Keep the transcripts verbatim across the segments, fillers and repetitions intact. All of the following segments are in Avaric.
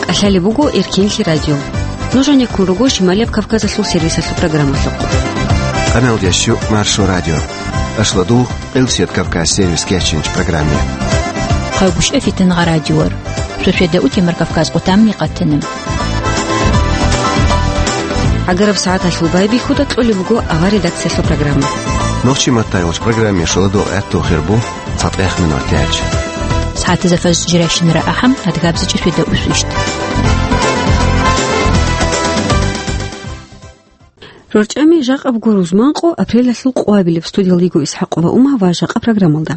КӀалъалеб буго Эркенлъи радио. Нуж гьанеккун руго Шималияб Кавказалъул сервисалъул программалъухъ. Къаналдящу Маршо радио. Ашладул Элсият Кавказ сервис кечинч программе. Хъайбушев Фитангъа радиор. Суседа утимар Кавказ къутамни къатана. ГӀагараб сагӀаталъул байбихьуда кьолеб буго авар редакциялъул программа. Нохчи маттайгъуч программе шаладул гӀатту хирбу цатӀех минут яч. СагӀатазда фаз жиращинара ахӀам, адгабзичӀ суседа усвищт. РорчӀами жакъаб гурузманкъо апрелалъул къвабилеб студиялдего ИсхӀакъова Ума ва жакъа программалда.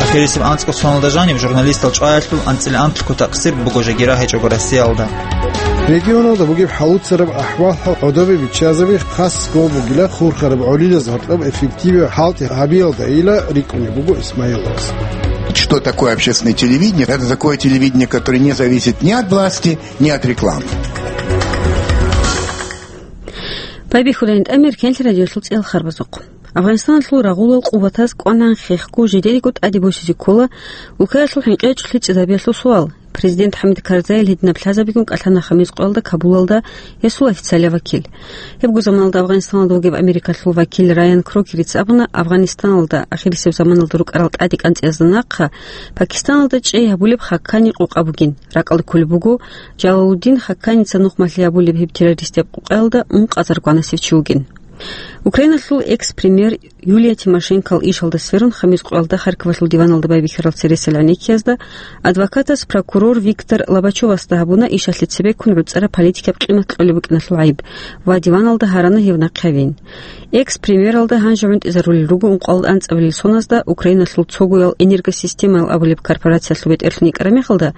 Ахирисеб анцӀго соналда жаниб журналистал чӀваялъул анцӀила анлъго такъсир буго жагира гьечӀого Россиялда. Регионалда бугеб хӀалуцараб ахӀвал-хӀал гӀодобе биччазаби хас гол бугила хурхараб гӀолилаз гьоркьоб эффективе хӀалтӀи гьабиялдайила рикӀкӀунеб буго Исмаиловас. Что такое общественное телевидение? Это такое телевидение, которое не зависит ни от власти, ни от рекламы. Байбихьулайин тӀамир кенлъи радиолъул цӀел харбазухъ. Афганистаналъул рагъулал къуватаз кӀванан хехго жидериго тӀаде босизе ккола улкаялъул хӀинкъичӀлъи цӀидабиялъул суал. Президент ХӀамид Карзайил гьединаб лъазабигун кӀалъана хамис къоялда Кабулалда гьесул официалияб вакил. Гьебго заманалда Афганистаналда вугеб Америкалъул вакил Райан Крокерица абуна, Афганистаналда ахирисеб заманалда рукӀарал тӀаде кӀанцӀиязда нахъа Пакистаналда чӀей гьабулеб хаккани къокъа бугин. Ракъалде кколеб буго, Жалалуддин Хакканица нухмалъи гьабулеб гьеб террористияб къокъаялда ункъазарго гьанасев чи вугин. Украиналъул экс-премьер Юлия Тимошенкол ишалда сверун, хамис къоялда Харьковалъул диваналда байбихьарал цересел гӀенеккиязда адвокатас прокурор Виктор Лобачевасда гьабуна ишалъе цебеккун гӀуцӀараб политикаб къимат кьолеб букӀиналъул гӀайиб ва диваналда гьарана гьев нахъе гьавин. Экс-премьералда гьанже гӀунтӀизарулел руго ункъоялда анцӀабилел соназда Украиналъул цогоял энергосистемаял абулеб корпорациялъул бетӀерлъун йикӀараб мехалда,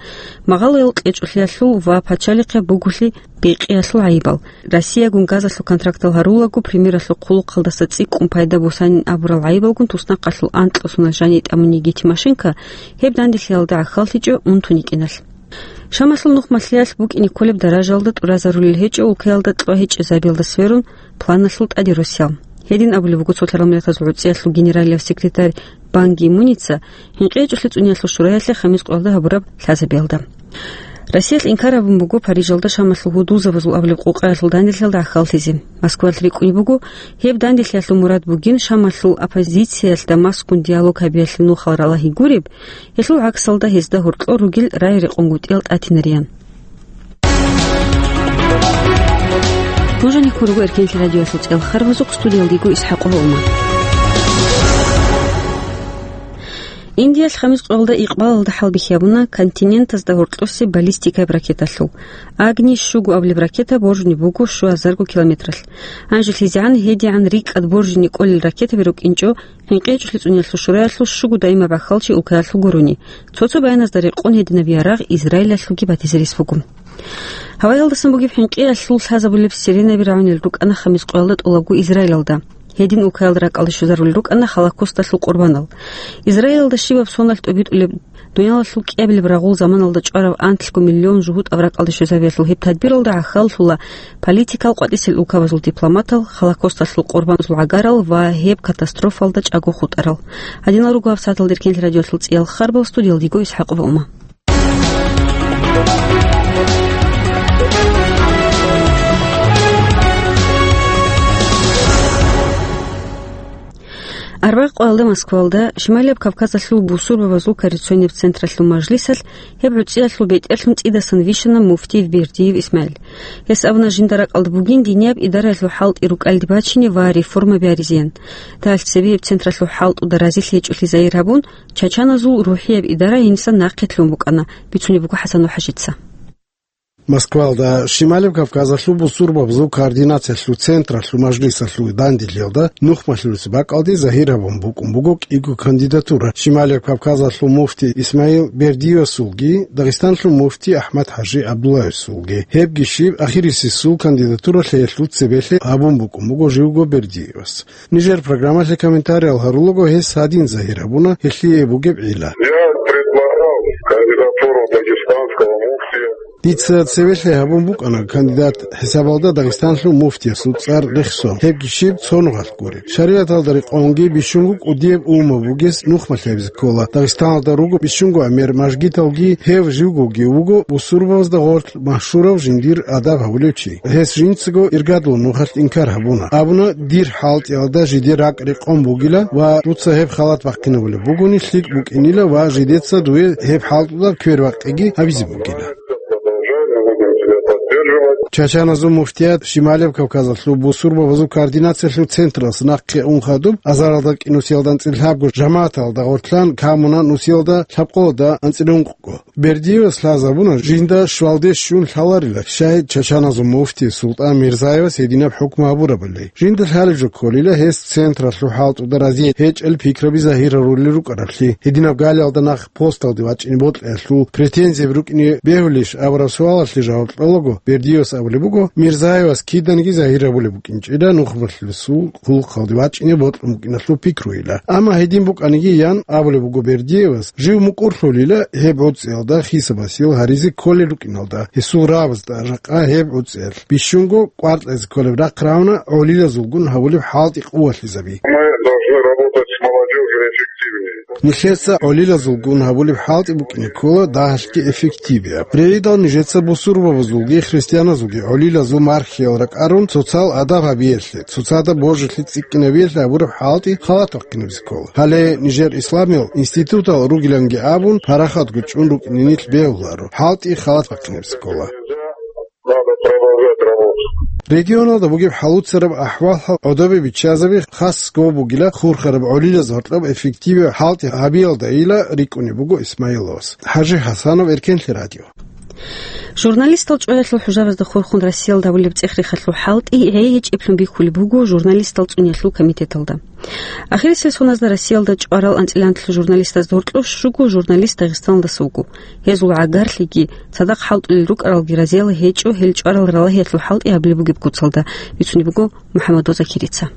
магъалоял кьечӀолъиялъул ва пачалихъе буголъи бекьиялъул гӀайибал. Россиягун газалъул контрактал гьарулаго премьералъул хъулухъалдаса цӀикӀкӀун пайда босанин абурал гӀайибалгун туснахъалъул анкьасуна жаниб тӀамуниги Тимошенко гьеб данделъиялда гӀахьаллъичӀо унтун йикӀиналъ. Шамалъул нухмалъиялъ букӀине кколеб даражаялда тӀуразарулел гьечӀо улкаялда кьва гьечӀезабиялда сверун планалъул тӀаде росиялъ. Гьедин абулеб буго Цолъарал Миллатазул ГӀуцӀиялъул генералияб секретарь Бан Ги Муница ХӀинкъичӀолъи цӀуниялъул шураялъе хамис къоялда гьабураб лъазабиялда. Россиялъ инкар гьабун буго Парижалда Шамалъул гьудулзабазул абулеб къокъаялъул данделъиялда гӀахьаллъизе. Москваялъ рикӀкӀунеб буго, гьеб данделъиялъул мурад бугин Шамалъул оппозициялъ Дамаскгун диалог гьабиялъе нухал ралагьи гуреб, гьелъул гӀаксалда гьезда гьоркьор ругел рай-рекъонгутӀиял тӀатинариян. Нуж гьанеккун руго Эркенлъи радиоялъул цӀел харбазухъ, студиялдего ИсхӀакъова Ума. Индиялъ хамис къоялда икъбалалда хӀалбихьи гьабуна континентазда гьоркьосе баллистикаяб ракеталъул. Агни щуго абулеб ракета боржунеб буго щуазарго километралъ. Гьанже лъизегӀан гьедигӀан рикӀкӀад боржине кӀолел ракетаби рукӀинчӀо ХӀинкъичӀолъи цӀуниялъул шураялъул щуго даимаб гӀахьалчи улкаялъул гурони. Цо-цо баяназда рекъон гьединаб ярагъ Израилалъулги батизе рес буго. Гьаваялдасан бугеб хӀинкъиялъул лъазабулеб сиренаби рагӀунел рукӀана хамис къоялда тӀолабго Израилалда. Гьедин улкаялда ракӀалде щвезарулел рукӀана Холокосталъул къурбанал. Израилалда щибаб соналъ тӀобитӀулеб, дуниялалъул кӀиабилеб рагъул заманалда чӀвараб анлъго миллион жугьутӀаб ракӀалде щвезабиялъул гьеб тадбиралда гӀахьаллъула политикал къватӀисел улкабазул дипломатал, Холокосталъул къурбаназул гӀагарал ва гьеб катастрофалда чӀаго хутӀарал. Гьадинал руго гьабсагӀаталда Эркенлъи радиоялъул цӀиял харбал, студиялдего ИсхӀакъова Ума. Арбагъ къоялда Москвалда Шималияб Кавказалъул бусурбабазул коррекционияб централъул мажлисалъ гьеб гӀуцӀиялъул бетӀерлъун цӀидасан вищана муфтиев Бердиев ИсмагӀил. Гьес абуна, жинда ракӀалда бугин динияб идараялъул хӀалтӀи рукӀалде бачине ва реформа бяризеян. Дагьалъ цебе гьеб централъул хӀалтӀуда разилъи гьечӀолъи загьир гьабун, чачаназул рухӀияб идара гьениса нахъе лъун букӀана, бицунеб буго ХӀасан ХӀажица. Москвалда Шималияб Кавказалъул бусурбабазул координациялъул централъул мажлисалъул данделъиялда нухмалъулесе бакӀалде загьир гьабун букӀун буго кӀиго кандидатура: Шималияб Кавказалъул муфти ИсмагӀил Бердиевасулги, Дагъистаналъул муфти АхӀмад-ХӀажи ГӀабдуллаевасулги. Гьебги щиб, ахирисесул кандидатура лъеялъул цебелъе гьабун букӀун буго живго Бердиевас. Нижер программалъе комментариял гьарулаго гьес гьадин загьир гьабуна гьелъие бугеб гӀилла. Я предлагал кандидатуру дагестанского муфтия. Дица цевелъи гьабун букӀана кандидат хӀисабалда Дагъистанлъул муфтиясул цӀар рехсон, гьебги щиб цо нухалъ гуреб. Шаригьаталда рекъонги бищунго кӀудияб умумаб бугес нухмалъ гьабизе ккола. Дагъистаналда руго бищунго гӀемер мажгиталги, гьев живгоги вуго бусурбабазда гъорлъ машгьурав жиндир адаб гьабулев чи. Гьес жинцаго иргадулаб нухалъ инкар гьабуна. Абуна, дир хӀалтӀиялда жидер ракӀ рекъон бугила ва дуца гьеб халат бахъинабулеб бугони лъикӀ букӀинила ва жидеца дуе гьеб хӀалтӀуда квербакъиги гьабизе бугила. Чачаназул муфтият Шималев Кавказалъул бусурбабазул координациялъул централъ нахъе ун хадуб, азаралда кӀинусиялда анцӀила лъабго жамагӀаталда гъорлъан камуна нусиялда лъабкъоялда анцӀила ункъго. Бердиевас лъазабуна жинда щвалде щун лъаларила, щай Чачаназул муфти СултӀан Мирзаевас гьединаб хӀукму гьабурабали. Жинда лъалеб жо кколила гьес централъул хӀалтӀуда разие гьечӀел пикраби загьир гьарулел рукӀараблъи. Гьединаб галиялда нах посталде вачӀине бокьиялъул претензияб рукӀине бегьулищ абураб суалалъе жаваб кьолаго, Бердиевас абулеб буго, Мирзаевас киданиги загьир гьабулеб букӀинчӀила нухмалъулесул хъулухъалде вачӀине бокьун букӀиналъул пикруйила. Амма гьедин букӀаниги ян абулеб буго Бердиевас, жив мукӀурлъулила гьеб гӀуцӀиялда хисабасел гьаризе кколел рукӀиналда, гьесул рагӀабазда жакъа гьеб гӀуцӀиялъ бищунго кӀваркьазе кколеб рахъ рагьуна гӀолилазулгун гьабулеб хӀалтӀи къувалъизаби. Мы должны работать с молодёжью эффективнее. Нилъеца гӀолилазулгун гьабулеб хӀалтӀи букӀине ккола дагьалъги эффективияб. РегӀидал нижеца бусурбабазулги христианазулги гӀолилазул мархиял ракӀарун цоцал адаб гьабиялъе, цоцазда божилъи цӀикӀкӀинабиялъе гьабураб хӀалтӀи халат бахъинабизе ккола. Гьале нижер исламиял институтал ругиланги абун, парахатго чӀун рукӀине нилъ бегьуларо, хӀалтӀи халат бахъинабизе ккола. Надо продолжать работу. Регионалда бугеб хӀалуцараб ахӀвал-хӀал гӀодобе биччазаби хас гов бугила хурхараб гӀолилаз гьоркьоб эффективияб хӀалтӀи гьабиялдайила рикӀкӀунеб буго Исмаиловас. ХӀажи ХӀасанов, Эркенлъи радио. Журналистал чӀваялъул хӀужабазда хурхун Россиялда гьабулеб цӀех-рехалъул хӀалтӀи гӀей гьечӀеблъун бихьулеб буго журналистал цӀуниялъул комитеталда. Ахирисеб соназда Россиялда чӀварал анцӀиланлъи журналистазда гьоркьоб щуго журналист Дагъистаналдаса вуго. Гьезул гӀагарлъиги, цадахъ хӀалтӀулел рукӀаралги разиял гьечӀо гьел чӀварал ралагьиялъул хӀалтӀи гьабулеб бугеб куцалда, бицунеб буго МухӀаммадов Закирица.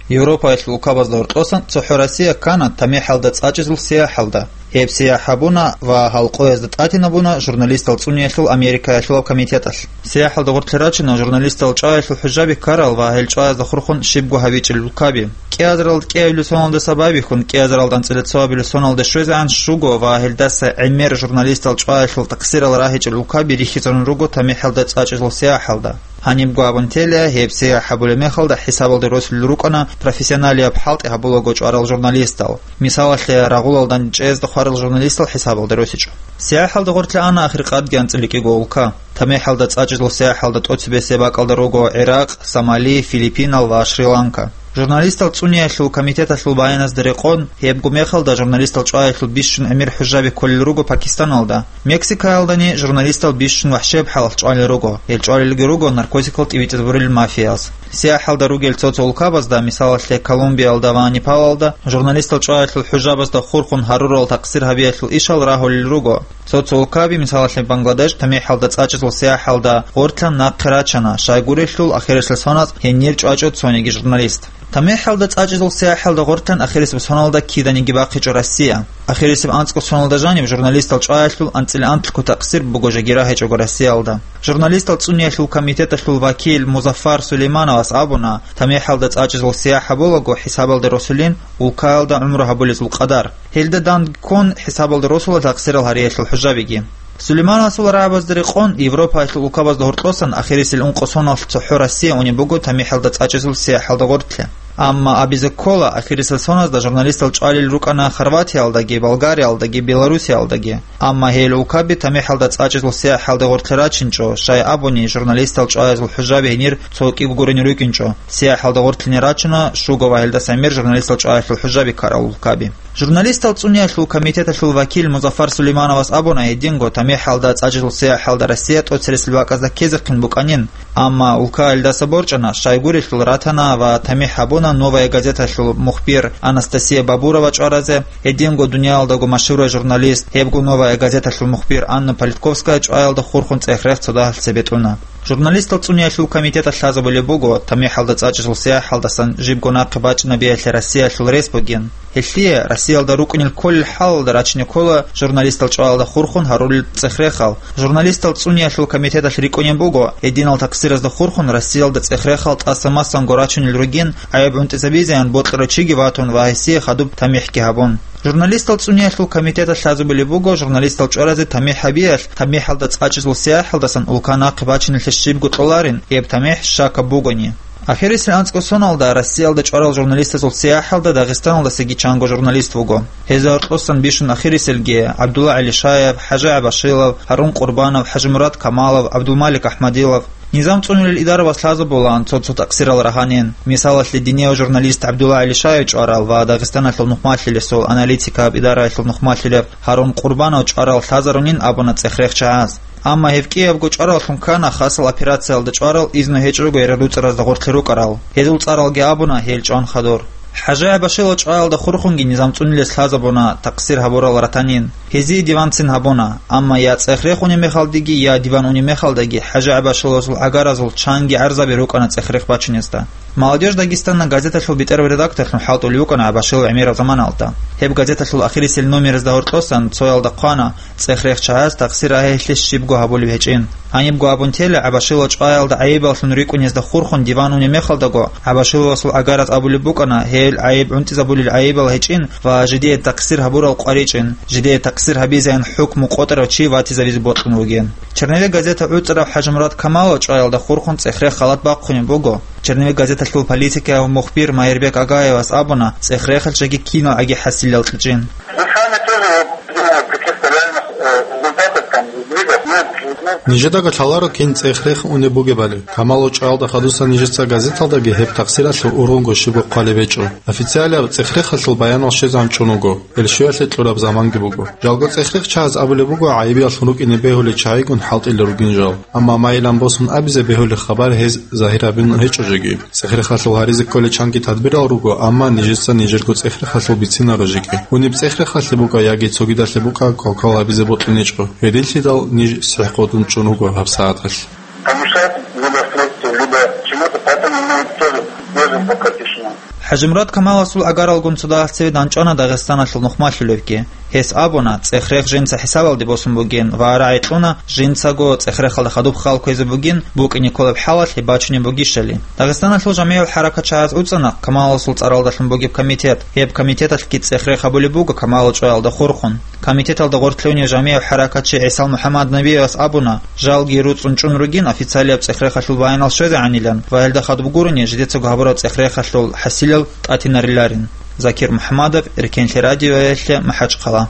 Европаялъул улкабазда гьоркьосан цохӀо Россия ккана тамихӀалда цӀачӀизул сияхӀалда. Гьеб сияхӀ гьабуна ва гьал къоязда тӀатинабуна журналистал цӀуниялъул Америкаялъулаб комитеталъ. СияхӀалда гъорлъе рачана журналистал чӀваялъул хӀужаби ккарал ва гьел чӀваязда хурхун щибго гьабичӀел улкаби. КӀиазаралда кӀиабилеб соналдаса байбихьун, кӀиазаралда анцӀила цоабилеб соналда щвезегӀан щуго ва гьелдаса гӀемер журналистал чӀваялъул такъсирал рагьичӀел улкаби рихьизарун руго тамихӀалда цӀачӀизул сияхӀалда. Гьанибго абун тела, гьеб сияхӀ гьабулеб мехалда хӀисабалде росулел рукӀана профессионалияб хӀалтӀи гьабулаго чӀварал журналистал. Мисалалъе, рагъулалда чӀезда хварал журналистал хӀисабалде росичӀо. СияхӀалда гъорлъе ана ахиркъадги анцӀила кӀиго улка. ТамихӀалда цӀачӀизул сияхӀалда тӀоцебесеб бакӀалда руго ГӀиракъ, Сомали, Филиппинал ва Шри-Ланка. Журналистал цӀуниялъул комитеталъул баяназда рекъон, гьебго мехалда журналистал чӀваялъул бищун гӀемер хӀужаби кколел руго Пакистаналда. Мексикаялдани журналистал бищун вахӀшияб хӀалалъ чӀвалел руго. Гьел чӀвалелги руго наркотикал тӀибитӀизабурел мафияз. СияхӀалда ругел цо-цо улкабазда, мисалалъе, Колумбиялда ва Непалалда, журналистал чӀваялъул хӀужабазда хурхун гьарурал такъсир гьабиялъул ишал рагьулел руго. Цо-цо улкаби, мисалалъе, Бангладеш, тамихӀалда цӀачӀизул сияхӀалда гъорлъан нахъе рачана, щайгурелъул ахирисел соналъ гьенир чӀвачӀо цониги журналист. ТамихӀалда цӀачӀизул сияхӀалда гъорлъан ахирисеб соналда киданиги бахъичӀо Россия. Ахирисеб анцӀго соналда жаниб журналистал чӀваялъул анцӀила анлъго такъсир буго жеги рагьичӀого Россиялда. Журналистал цӀуниялъул комитеталъул вакил Музаффар Сулеймановас абуна, тамихӀалда цӀачӀизул сияхӀ гьабулаго хӀисабалде росулин улкаялда гӀумру гьабулезул къадар. Гьелда дандккун хӀисабалде росула такъсирал гьариялъул хӀужабиги. Сулеймановасул рагӀабазда рекъон, Европаялъул улкабазда гьоркьосан ахирисел ункъо соналъ цохӀо Россия унеб буго тамихӀалда цӀачӀизул сияхӀалда гъорлъе. Амма абизе ккола, ахирисел соназда журналистал чӀвалел рукӀана Хорватиялдаги, Болгариялдаги, Белоруссиялдаги. Амма гьел улкаби тамихӀалда цӀачӀизул сияхӀалда гъорлъе рачинчӀо, щай абуни, журналистал чӀваязул хӀужаби гьенир цо кӀиго гурин рукӀинчӀо. СияхӀалда гъорлъине рачуна щуго ва гьелдаса гӀемер журналистал чӀваялъул хӀужаби ккарал улкаби. Журналистал цӀуниялъул комитеталъул вакил Музаффар Сулеймановас абуна, гьединго тамихӀалда цӀачӀизул сияхӀалда Россия тӀоцересел бакӀазда ккезехъин букӀанин, амма улкаялдаса борчӀана, щайгурелъул ратана ва тамихӀ гьабуна «Новая газеталъул» мухбир Анастасия Бабурова чӀваразе, гьединго дуниялалдаго машгьурай журналист, гьебго «Новая газеталъул» мухбир Анна Политковская чӀваялда хурхун цӀех-рех цо дагьалъ цебетӀуна. Журналистал цӀуниялъул комитеталъ лъазабулеб буго, тамихӀалда цӀачӀазул сияхӀалдасан жибго нахъе бачӀинабиялъе Россиялъул рес бугин. Гьелъие Россиялда рукӀунел кколел хӀалалда рачине ккола журналистал чӀваялда хурхун гьарулел цӀех-рехал. Журналистал цӀуниялъул комитеталъ рикӀкӀунеб буго, гьединал такъсиразда хурхун Россиялда цӀех-рехал тӀаса-масанго рачунел ругин, гӀайиб гӀунтӀизабизеян бокьарав чиги ватун ва гьесие хадуб тамихӀги гьабун. Журналистал цӀуниялъул комитеталъ лъазабулеб буго журналистал чӀваразе тамихӀ гьабиялъ, тамихӀалда цӀачӀазул сияхӀалдасан улка нахъе бачиналъе щибго кьоларин, гьеб тамихӀ щакаб бугони. Ахирисел анцӀго соналда Россиялда чӀварал журналистазул сияхӀалда Дагъистаналдасаги чанго журналист вуго. Гьезда гьоркьосан бищун ахирисел ГӀабдулла ГӀалишаев, ХӀажи ГӀабашилов, Гьарун Къурбанов, ХӀажимурад Камалов, ГӀабдулмалик АхӀмадилов. Низам цӀунулел идаравас лъазабулаан цо-цо такъсирал рагьанин. Мисалалъе, динияв журналист ГӀабдулла ГӀалишаев чӀварал ва Дагъистаналъул нухмалъилесул аналитикаб идараялъул нухмалъилеб Гьарун Къурбанов чӀварал лъазарунин абуна цӀех-рех чагӀаз. Амма гьеб кӀиябго чӀвараллъун ккана хасал операциялда чӀварал изну гьечӀого гьерар руцӀаразда гъорлъе рукӀарал. Гьезул цӀаралги абуна гьел чӀван хадур. ХӀажи ГӀабашилов чӀваялда хурхунги низам цӀунилес лъазабуна такъсир гьабурал ратанин. Гьезие диванцин гьабуна, амма я цӀех-рех унеб мехалдиги, я диван унеб мехалдаги ХӀажи ГӀабашиловасул гӀагаразул чанги гӀарзаби рукӀана цӀех-рех бачунезда. «Молодёжь Дагестана» газеталъул бетӀерав редакторлъун хӀалтӀулев вукӀана ГӀабашилов гӀемераб заманалда. Гьеб газеталъул ахирисел номерезда гьоркьосан цоялда хъвана цӀех-рех чагӀаз такъсир гьабиялъе щибго гьабулеб гьечӀин. Гьанибго абун тела, ГӀабашилов чӀваялда гӀайибаллъун рикӀкӀунезда хурхун диван унеб мехалдаго, ГӀабашиловасул гӀагараз абулеб букӀана, гьел гӀайиб гӀунтӀизабулел гӀайибал гьечӀин ва жидее такъсир гьабурал къваричӀин, жидее такъсир гьабизеян хӀукму къотӀарав чи ватизабизе бокьун вугин. «Черновик» газета гӀуцӀарав ХӀажимурад Камалов чӀваялда хурхун цӀех-рех халат бахъунеб буго. «Черновик» газеталъул политикияв мухбир Майрбек Агаевас абуна, цӀех-рехалъ жеги кинал гӀаги хӀасилал кьичӀин. Вы сами тоже вот, не знаю, каких-то реальных, э, результатов там, сдвигов нет, нет. Нижедаго лъаларо кин цӀех-рех унеб бугебали. Камалов чӀваялда хадусан нижеца газеталдаги гьеб такъсиралъул ургъунго щибго хъвалеб гьечӀо. Официалияб цӀех-рехалъул баянал щвезегӀан чӀун вуго. Ил щвеялъе кьураб заманги буго. Жалго цӀех-рех чагӀаз абулеб буго, гӀайибияллъун рукӀине бегьулел чагӀигун хӀалтӀулел ругин жал. Амма майилан босун абизе бегьулеб хабар гьез загьир гьабун гьечӀо жеги. ЦӀех-рехалъул гьаризе кколел чанги тадбирал руго, амма нижеца нижерго цӀех-рехалъул бицинаро жеги. Униб цӀех-рехалъе букӀа яги цогидалъе букӀа кал-кал гьабизе бокьун гьечӀо. Гьединлъидал ниж сихӀкъотӀун чӀун вуго гьаб сагӀаталъ. Помешать либо средству, либо чему-то, поэтому мы тоже держим пока тишину. ХӀажимурад Камаловасул гӀагаралгун цо дагьалъ цеве данчӀвана Дагъистаналъул нухмалъулевги. Гьес абуна, цӀех-рех жинца хӀисабалде босун бугин ва рагӀи кьуна, жинцаго цӀех-рехалда хадуб хал кквезе бугин, букӀине кколеб хӀалалъ гьеб бачунеб бугищали. Дагъистаналъул жамгӀиял хӀаракатчагӀаз уцӀана Камаловасул цӀаралдалъун бугеб комитет. Гьеб комитеталъги цӀех-рех гьабулеб буго Камалов чӀваялда хурхун. Комитеталда гъорлъ лъугьунев жамгӀияв хӀаракатчи ГӀисал МухӀаммаднабиевас абуна, жалги руцӀцӀун чӀун ругин официалияб цӀех-рехалъул баянал щвезегӀанилан ва гьелда хадуб гурони жидецаго гьабураб цӀех-рехалъул хӀасилал тӀатинариларин. Закир МухӀаммадов, Эркенлъи радиоялъе, МахӀачхъала.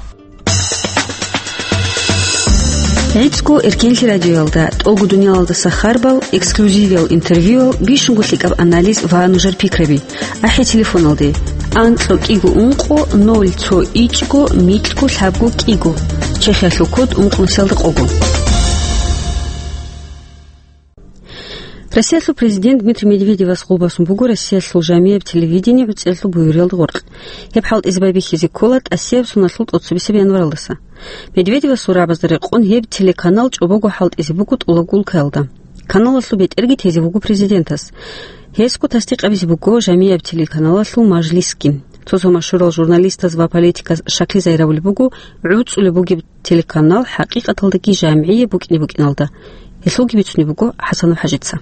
ГӀицӀго Эркенлъи радиоялда тӀолго дуниялалдаса харбал, эксклюзивиял интервьюял, бищунго лъикӀаб анализ ва нужер пикраби. АхӀи телефоналде: анкьго кӀиго ункъо ноль цо ичӀго микьго лъабго кӀиго, Чехиялъул код ункънусиялда къого. Россиялъул президент Дмитрий Медведевас гъолбасун буго Россиялъул жамияб телевидение гӀуцӀиялъул буюриялда гъоркь. Гьеб хӀалтӀизе байбихьизе ккола тӀасияб соналъул тӀоцебесеб январалдаса. Медведевасул рагӀабазда рекъон гьеб телеканал чӀобого хӀалтӀизе буго тӀолабго улкаялда. Каналалъул бетӀерги тезе буго президентас. Гьесго тасдикъ гьабизе буго жамияб телеканалалъул мажлисги. Цо-цо машгьурал журналистаз ва политиказ щаклъи загьирабулеб буго гӀуцӀулеб бугеб телеканал хӀакъикъаталдаги жамгӀияб букӀине букӀиналда. Гьелъулги бицунеб буго ХӀасанов ХӀажица.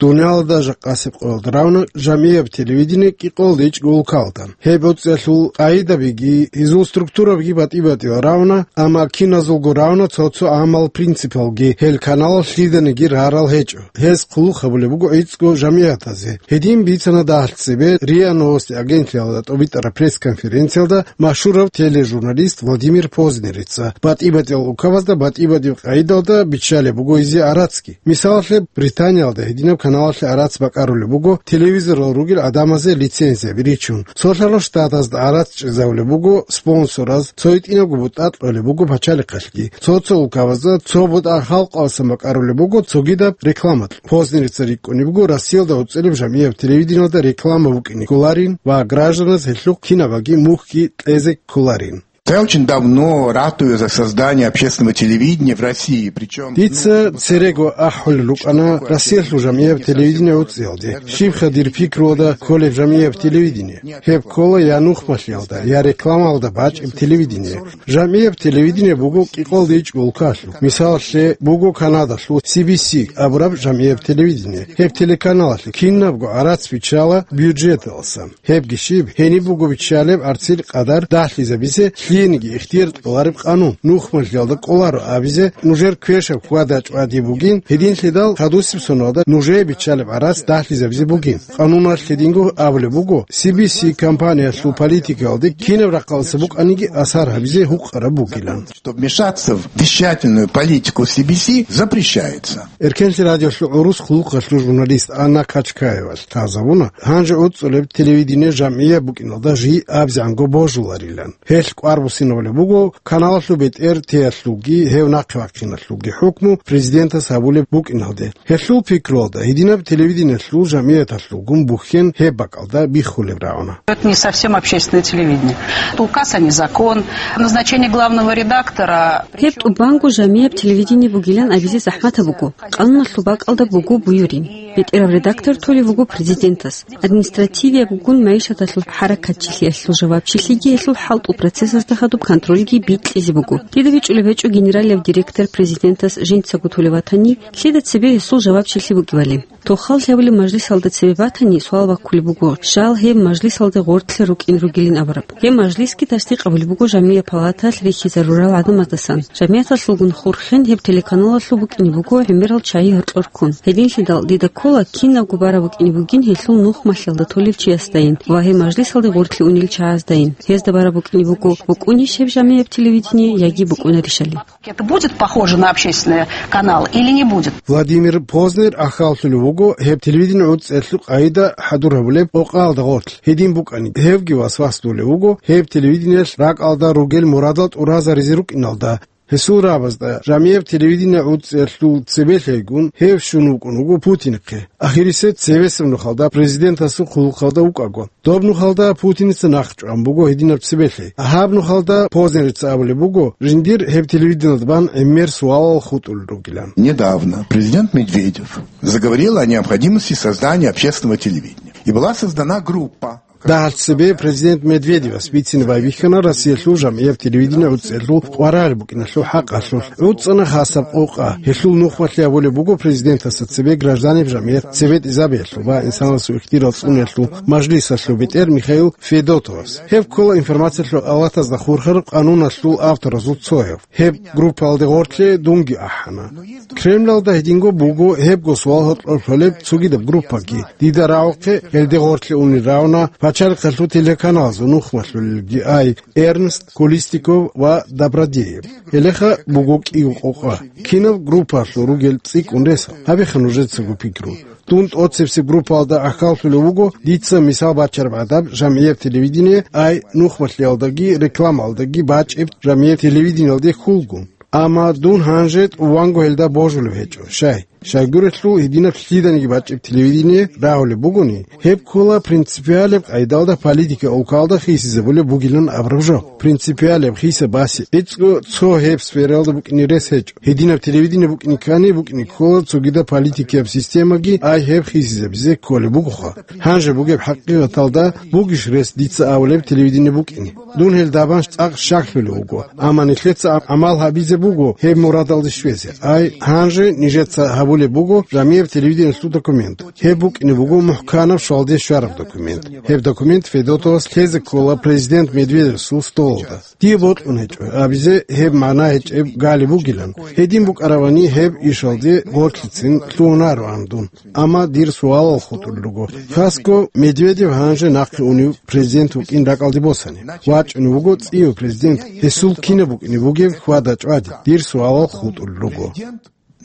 Дуниялалда жакъасеб къоялда равна жамияб телевидение кӀикъоялда ичӀго улкаялда. Гьеб гӀуцӀиялъул къагӀидабиги, гьезул структурабиги батӀи-батӀиял равна, амма киназулго равна цо-цо гӀамал принципалги гьел каналалъ лъиданиги рарал гьечӀо. Гьез хъулухъ гьабулеб буго гӀицӀго жамигӀатазе. Гьедин бицана дагьалъ цебе РИА Новости агентлъиялда тӀобитӀараб пресс-конференциялда машгьурав тележурналист Владимир Познерица. БатӀи-батӀиял улкабазда батӀи-батӀияб къагӀидалда биччалеб буго гьезие арацги. Мисалалъе, Британиялда гьединаб каналалъе арац бакӀарулеб буго телевизорал ругел гӀадамазе лицензияби ричун. Цолъарал Штатазда арац чӀезавулеб буго спонсораз, цо гьитӀинабго бутӀа кьолеб буго пачалихъалъги. Цо-цо улкабазда цо бутӀа халкъалъасан бакӀарулеб буго цогидаб реклама. Познерица рикӀкӀунеб буго Россиялда гӀуцӀилеб жамияб телевидениялда реклама букӀине кколарин ва гражданаз гьелъухъ кинабаги мухьги кьезе кколарин. Я очень давно ратую за создание общественного телевидения в России, причём... Дица церего ахӀулел рукӀана Россиялъул жамгӀияб телевидение гӀуцӀиялде. Щибха дир пикруялда кколеб жамгӀияб телевидение? Гьеб ккола я нухмалъиялда, я рекламаялда бачӀеб телевидение. ЖамгӀияб телевидение буго кӀикъоялда ичӀго улкалъул. Мисалалъе, буго Канадалъул си би си абураб жамгӀияб телевидение. Гьеб телеканалалъе кинабго гӀарац биччала бюджеталдасан. Гьебги щиб, гьениб буго биччалеб гӀарцил къадар дагьлъизабизе лъиениги ихтияр кьолареб къанун, нухмалъиялда кӀоларо абизе нужер квешаб хьвада-чӀвади бугин, гьединлъидал хадусеб соналда нужее биччалеб гӀарац дагьлъизабизе бугин. Къануналъ гьединго абулеб буго, си би си компаниялъул политикаялде кинаб рахъалдаса букӀаниги асар гьабизе гьукъараб бугилан. Чтоб вмешаться в вещательную политику си би си, запрещается. Эркенлъи радиолъул гӀурус хъулухъалъул журналист Анна Качкаевалъ лъазабуна, гьанже гӀуцӀулеб телевидение жамгӀияб букӀиналда жий абзегӀанго божуларилан. Гьелъ кӀвар буссинабулеб буго каналалъул бетӀер теялъулги гьев нахъе вахъиналъулги хӀукму президентас гьабулеб букӀиналде. Гьелъул пикруялда, гьединаб телевидениялъул жамгӀияталъулгун бухьен гьеб бакӀалда биххулеб рагӀуна. Это не совсем общественное телевидение. Это указ, а не закон. Назначение главного редактора. Гьеб тӀубанго жамгӀияб телевидение бугилан абизе захӀматаб буго. Къануналъул бакӀалда буго буюрин. БетӀерав редактор толев вуго президентас. Административиябгун майишаталъул хӀаракатчилъиялъул жавабчилъиги гьелъул хӀалтӀул процессазда хадуб контрольги бикьизе буго. Дида бичӀчӀулеб гьечӀо генералияб директор президентас жинцаго толев ватани, лъида цебе гьесул жавабчилъи букӀибали. Тохал лъабулеб мажлисалда цебе батани, суал баккулеб буго, щал гьеб мажлисалде гъоркьлъи рукӀин ругилин абураб. Гьеб мажлисги тасдикъ абулеб буго жамгӀияб палаталъ рихьизарурал гӀадамаздасан. ЖамгӀияталъулгун хурхен гьеб телеканалалъул букӀине буго гӀемерал чагьи гьоркьор ккун. Гьединлъидал дида ккола кинабго бараб букӀине бугин гьелъул нухмалъиялда толев чиясдайин ва гьеб мажлисалде гъоркьлъи унел чагьаздайин. Гьезда бараб букӀине буго, букӀунищ гьеб жамгӀияб телевидение яги букӀунарищали. Это будет похоже на общественный канал или не будет? Владимир Познер ахӀаллъулев вуго гьеб телевидение гӀуцӀиялъул къагӀида хӀадур гьабулеб къокъаялда гъорлъ. Гьедин букӀани, гьевги васвасдулев вуго гьеб телевидениялъ ракӀалда ругел мурадал тӀуразаризе рукӀиналда. Гьесул рагӀабазда жамгӀияб телевидение гӀуцӀиялъул цебе лъейгун гьев щун вукӀун вуго Путинихъе. Ахирисеб цебесеб нухалда президентасул хъулухъалда вукӀаго. Доб нухалда Путиница нахъчӀван буго гьединаб цебе лъей. Гьаб нухалда Познерица абулеб буго, жиндир гьеб телевидениялда бан гӀемер суалал хутӀулел ругилан. Недавно президент Медведев заговорил о необходимости создания общественного телевидения. И была создана группа. Дагьалъ цебе президент Медведевас бицине байбихьана Россиялъул жамгӀияб телевидение гӀуцӀиялъул къваригӀел букӀиналъул хӀакъалъулъ. ГӀуцӀана хасаб къокъа, гьелъул нухмалъи абулеб буго президентасда цебе гражданиб жамгӀият цебетӀизабиялъул ва инсанасул ихтияр цӀуниялъул мажлисалъул бетӀер Михаил Федотовас. Гьеб ккола информациялъул авлатазда хурхараб къануналъул авторазул цояв. Гьеб группаялде гъорлъе дунги ахӀана. Кремлалда гьединго буго гьебго суал гьоркьор лъолеб цогидаб группаги. Дида рагӀухъе гьелде гъорлъе унел рагӀуна пачалихъалъул телеканалазул нухмалъулелги ай Эрнст, Кулистиков ва Добродеев. Гьелеха буго кӀиго къокъа. Кинаб группаялъул ругел цӀикӀкӀун рес, гьабиха нужецаго пикру. Дун тӀоцебесеб группаялда ахӀаллъулев вуго дица мисал бачараб гӀадаб жамгӀияб телевидение, ай нухмалъиялдаги рекламаялдаги бачӀеб жамгӀияб телевидениялде хьулгун. Амма дун гьанже тӀубанго гьелда божулев гьечӀо, щай? Щайгурелъул гьединаб лъиданиги бачӀеб телевидение рагьулеб бугони, гьеб ккола принципиалеб къайдалда политика улкалда хисизабулеб бугилан абураб жо. Принципиалеб хиса-баси гӀицӀго цо гьеб сфералда букӀине рес гьечӀо. Гьединаб телевидение букӀине ккани, букӀине ккола цогидаб политикияб системаги, ай гьеб хисизабизе кколеб бугоха. Гьанже бугеб хӀакъикъаталда бугищ рес дица абулеб телевидение букӀине? Дун гьелда бан цӀакъ щаклъулев вуго, амма нилъеца гӀамал гьабизе буго гьеб мурадалде щвезе. Ай, гьанже нижеца гьабулеб буго жамгӀияб телевидениялъул документ. Гьеб букӀине буго мухӀканаб щвалде щвараб документ. Гьеб документ Федотовас лъезе ккола президент Медведевасул столалда. Дие бокьун гьечӀо абизе гьеб магӀна гьечӀеб гали бугилан. Гьедин букӀаравани гьеб ишалде гъорлъицин лъугьунароан дун. Амма дир суалал хутӀулел руго. Хасго Медведев гьанже нахъе унев президент вукӀин ракӀалде босани. ВачӀунев вуго цӀияв президент. Гьесул кинаб букӀине бугеб хьвада-чӀвади? Дир суалал хутӀулел руго.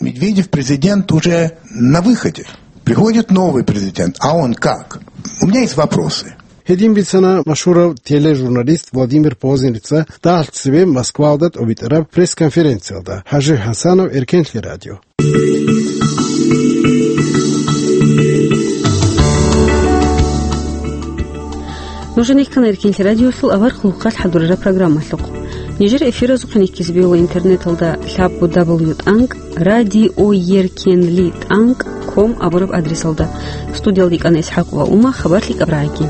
Медведев президент уже на выходе. Приходит новый президент, а он как? У меня есть вопросы. Гьедин бицана машгьурав тележурналист Владимир Познерица дагьалъ цебе Москвалда тӀобитӀараб пресс-конференциялда. ХӀажи ХӀасанов, Эркенлъи радио. Нуж нихкана Эркенлъи радиолъул авар хъулухъалъ хӀадурараб программалъухъ. Нижер эфиразухъе нихьизе бегьула интернеталда лъабго дабл ю тӀанкӀ радиоеркенлитӀанкӀ ком абураб адресалда. Студиялда йикӀана ИсхӀакъ ва Ума, хабар лъикӀаб рагӀаги.